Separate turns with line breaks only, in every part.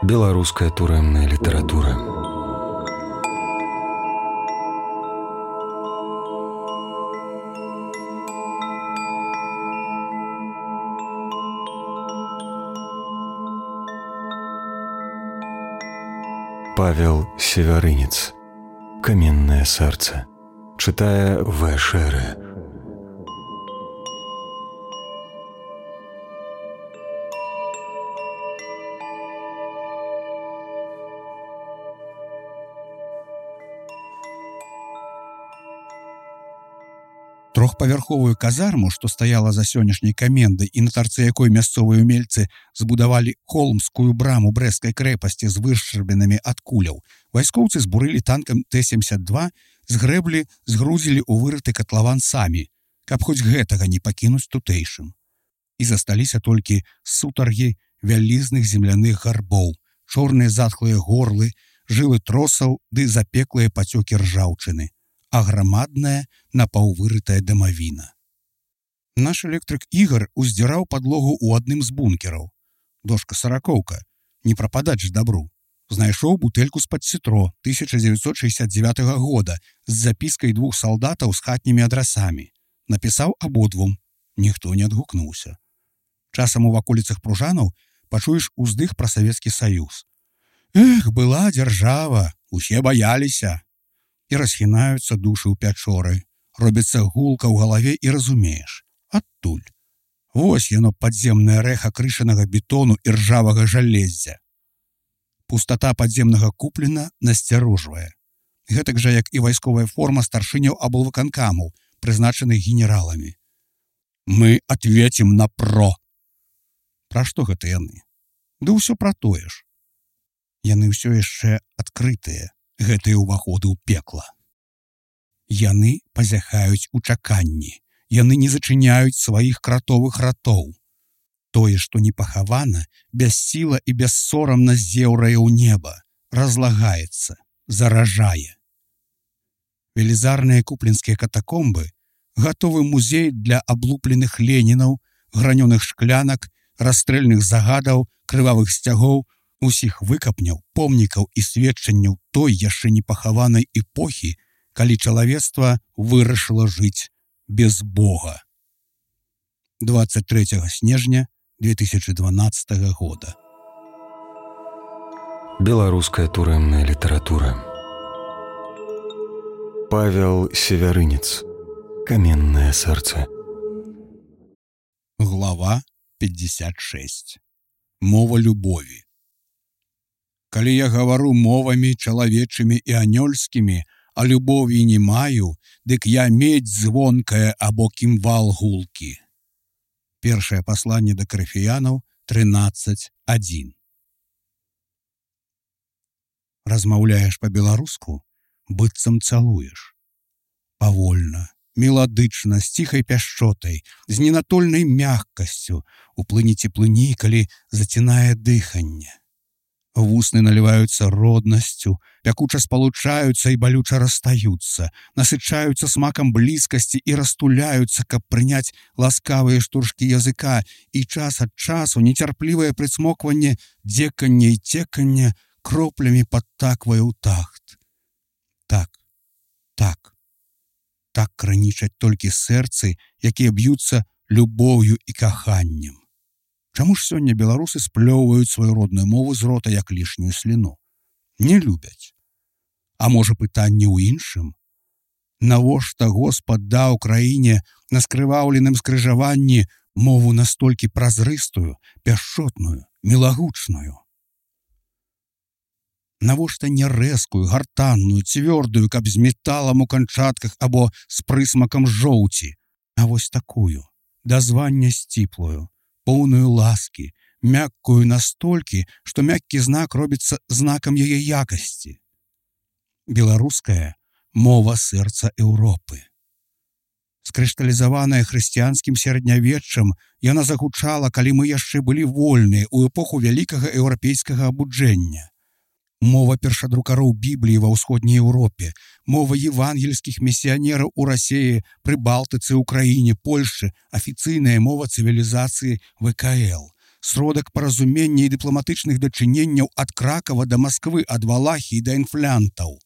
Беларуская турэмная літаратура. Павел Севярынец. Каменное сердце. Читая В. Шеры.
Трохпавярховую казарму, што стаяла за сённяшняй камендай і на тарцы якой мясцовыя ўмельцы збудавалі холмскую браму брэсцкай крэпасці з вышчарбінамі ад куляў, вайскоўцы збурылі танкам Т-72, згрэблі, згрузілі ў вырыты катлаван самі, каб хоць гэтага не пакінуць тутэйшым. І засталіся толькі сутаргі вялізных земляных гарбоў, чорныя затхлыя горлы, жылы тросаў ды запеклыя пацёкі ржаўчыны, а грамадная напаўвырытая дамавіна. Наш электрык Ігар уздзіраў падлогу ў адным з бункераў. Дошка-саракоўка, не прападаць ж дабру. Знайшоў бутэльку з-пад цітро 1969 года з запіскай двух салдатаў з хатнімі адрасамі. Напісаў абодвум. Ніхто не адгукнуўся. Часам у ваколіцах пружанаў пачуеш уздых пра Савецкі Саюз. Эх, была дзяржава, усе баяліся. І расхінаюцца душы ў пячоры. Робіцца гулка ў галаве і разумееш. Адтуль. Вось яно падземнае рэха крышанага бетону і ржавага жалеззя. Пустата падземнага куплена насцярожвае. Гэтак жа, як і вайсковая форма старшыняў аблвыканкамаў, прызначаных генераламі. Мы ответім на ПРО. Пра што гэта яны? Ды ўсё пра тое ж. Яны ўсё яшчэ адкрытыя. Гэтыя ўваходы ў пекла. Яны пазяхаюць у чаканні. Яны не зачыняюць сваіх кратовых ратоў. Тое, што не пахавана, бяссіла і бессорамна зеўрае ў неба, разлагаецца, заражае. Велізарныя купленскія катакомбы — гатовы музей для аблупленых ленінаў, гранёных шклянак, расстрэльных загадаў, крывавых сцягоў, усіх выкапняў, помнікаў і сведчанняў той яшчэ непахаванай эпохі, калі чалавецтва вырашыла жыць без Бога. 23 снежня 2012 года.
Беларуская турэмная літаратура. Павел Севярынец. Каменное сердце.
Глава 56. Мова любові. Калі я гавару мовамі чалавечымі і анёльскімі, а любові не маю, дык я медзь звонкая або кімвал гулкі. Першае пасланне да Карыфеянаў 13:1. Размаўляеш па-беларуску, быццам цалуеш. Павольна, меладычна, з ціхай пяшчотай, з ненатольнай мяккасцю, у плыні цеплыні, калі зацінае дыханне. Вусны наліваюцца роднасцю, пякуча спалучаюцца і балюча расстаюцца, насычаюцца смакам блізкасці і растуляюцца, каб прыняць ласкавыя штуршкі языка, і час ад часу нецярплівае прыцмокванне, дзеканне і цеканне кроплямі падтаквае ў тахт. Так, так, так кранічаць толькі сэрцы, якія б'юцца любоўю і каханнем. Чаму ж сёння беларусы сплёўваюць сваю родную мову з рота як лішнюю сліну? Не любяць. А можа пытанне ў іншым? Навошта Господ даў краіне на скрываўленым скрыжаванні мову настолькі празрыстую, пяшчотную, мілагучную? Навошта не рэзкую, гартанную, цвёрдую, каб з металам у канчатках або з прысмакам жоўці, а вось такую, да звання сціплую, поўную ласкі, мяккую настолькі, што мяккі знак робіцца знакам яе якасці. Беларуская мова сэрца Еўропы. Скрышталізаваная хрысціянскім сярэднявеччам, яна загучала, калі мы яшчэ былі вольныя ў эпоху вялікага еўрапейскага абуджэння. Мова першадрукароў Бібліі ва ўсходняй Еўропе, мова евангельскіх місіянераў у Расіі, Прыбалтыцы, Украіне, Польшчы, афіцыйная мова цывілізацыі ВКЛ. сродак паразумення і дыпламатычных дачыненняў ад Кракава да Масквы, ад Валахіі да інфлянтаў.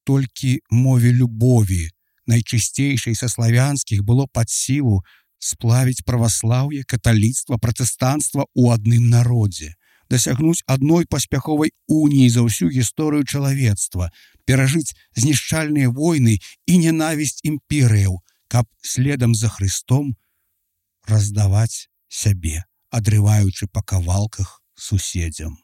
Толькі мове любові, найчысцейшай са славянскіх, было пад сілу сплавіць праваслаўе, каталіцтва, пратэстанцтва ў адным народзе, дасягнуць адной паспяховай уніі за ўсю гісторыю чалавецтва, перажыць знішчальныя войны і ненавісць імперыяў, каб следам за Христом раздаваць сябе, адрываючы па кавалках суседзям.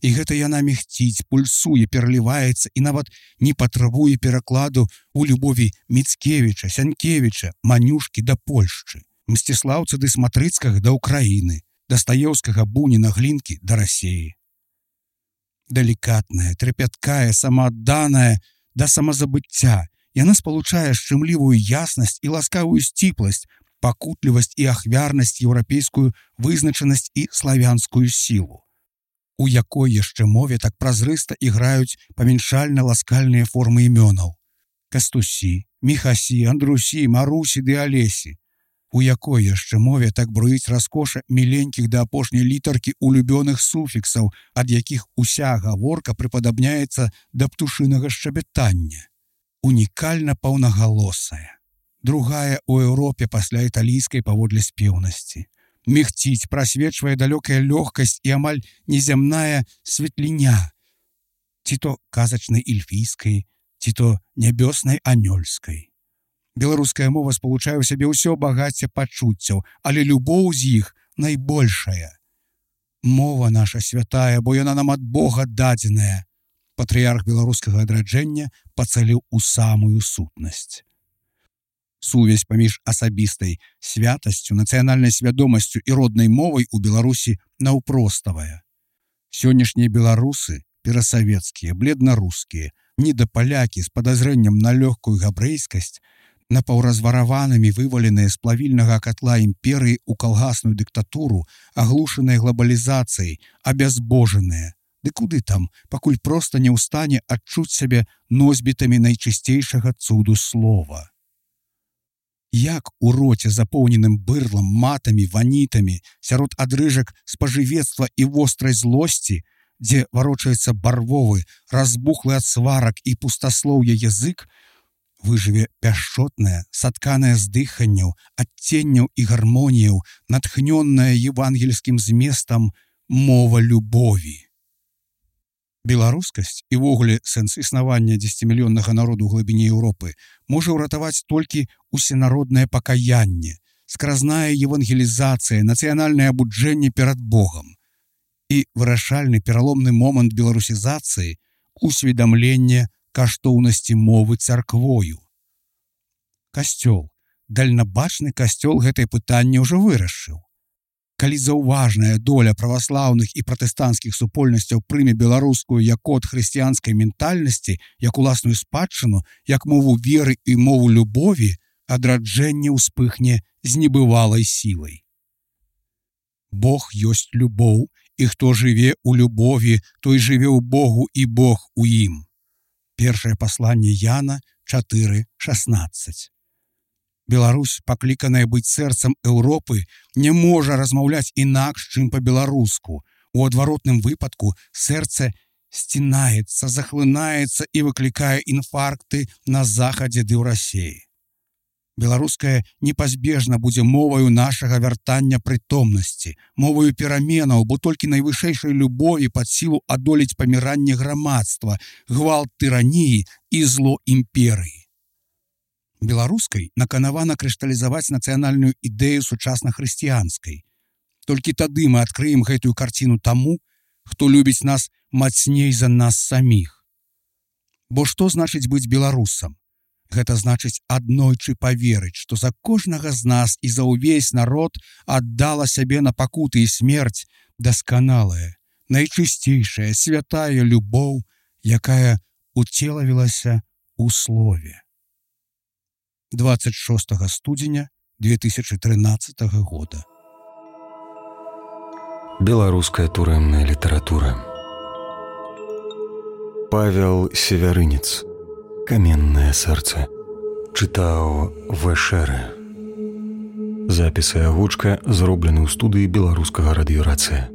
І гэта яна мігціць, пульсуе, пераліваецца і нават не патрабуе перакладу ў любові Міцкевіча, Сянкевіча, Манюшкі да Польшчы, Мсціслаўца ды Сматрыцкага да Украіны, Дастаеўскага, Буніна, Глінкі да Расеі. Далікатная, трапяткая, самаадданая да самазабыцця, яна спалучае шчымлівую яснасць і ласкавую сціпласць, пакутлівасць і ахвярнасць, еўрапейскую вызначанасць і славянскую сілу, у якой яшчэ мове так празрыста іграюць памяншальна-ласкальныя формы імёнаў: Кастусі, Міхасі, Андрусі, Марусі ды Алесі, у якой яшчэ мове так бруіць раскоша міленькіх да апошняй літаркі улюбёных суфіксаў, ад якіх уся гаворка прыпадабняецца да птушынага шчабятання. Унікальна паўнагалосая, другая ў Еўропе пасля італійскай паводле спеўнасці. Мігціць, прасвечвае далёкая лёгкасць і амаль незямная светліня, ці то казачнай эльфійскай, ці то нябёснай анёльскай. Беларуская мова спалучае ў сябе ўсё багацце пачуццяў, але любоў з іх найбольшая. Мова наша святая, бо яна нам ад Бога дадзеная. Патрыярх беларускага адраджэння пацаліў у самую сутнасць. Сувязь паміж асабістай святасцю, нацыянальнай свядомасцю і роднай мовай у Беларусі наўпроставая. Сённяшнія беларусы, перасавецкія, бледнарускія, недапалякі з падазрэннем на лёгкую габрэйскасць, напаўразвараванымі вываленыя з плавільнага катла імперыі ў калгасную дыктатуру, аглушаныя глабалізацыяй, абязбожаныя. Ды куды там, пакуль проста не ў стане адчуць сябе носьбітамі найчысцейшага цуду слова. Як у роце, запоўненым бырлам, матамі, ванітамі, сярод адрыжак спажывецтва і вострай злосці, дзе варочаецца барвовы, разбухлы ад сварак і пустаслоўя язык, выжыве пяшчотная, сатканая з дыханняў, адценняў і гармоніяў, натхнённая евангельскім зместам мова любові. Беларускасць і ввогуле сэнс існавання 10-мільённага народу ў глыбіні Еўропы можа ўратаваць толькі усенароднае пакаянне, скразная евангелізацыя, нацыянальнае абуджэнне перад Богам і вырашальны пераломны момант беларусізацыі — усведамленне каштоўнасці мовы царквою. Касцёл, дальнабачны касцёл гэтае пытанне ўжо вырашыў. Калі заўважная доля праваслаўных і пратэстанцкіх супольнасцяў прыме беларускую як код хрысціянскай ментальнасці, як уласную спадчыну, як мову веры і мову любові, адраджэнне ўспыхне з небывалай сілай. Бог ёсць любоў, і хто жыве ў любові, той жыве ў Богу і Бог у ім. Першае пасланне Яна 4:16. Беларусь, пакліканая быць сэрцам Еўропы, не можа размаўляць інакш, чым па-беларуску. У адваротным выпадку сэрца сцінаецца, захлынаецца і выклікае інфаркты на захадзе ды ў Расеі. Беларуская непазбежна будзе моваю нашага вяртання прытомнасці, моваю пераменаў, бо толькі найвышэйшай любові пад сілу адолець паміранне грамадства, гвалт тыраніі і зло імперыі. Беларускай наканавана крышталізаваць нацыянальную ідэю сучасна-хрысціянскай. Толькі тады мы адкрыем гэтую карціну таму, хто любіць нас мацней за нас саміх. Бо што значыць быць беларусам? Гэта значыць аднойчы паверыць, што за кожнага з нас і за ўвесь народ аддала сябе на пакуты і смерць дасканалая, найчысцейшая, святая любоў, якая уцелавілася ў слове. 26 студзеня 2013 года.
Беларуская турэмная літаратура. Павел Севярынец. «Каменное сердце». Читал Вэшэрэ. Запісы агучка зроблены ў студыі беларускага радыёрацыя.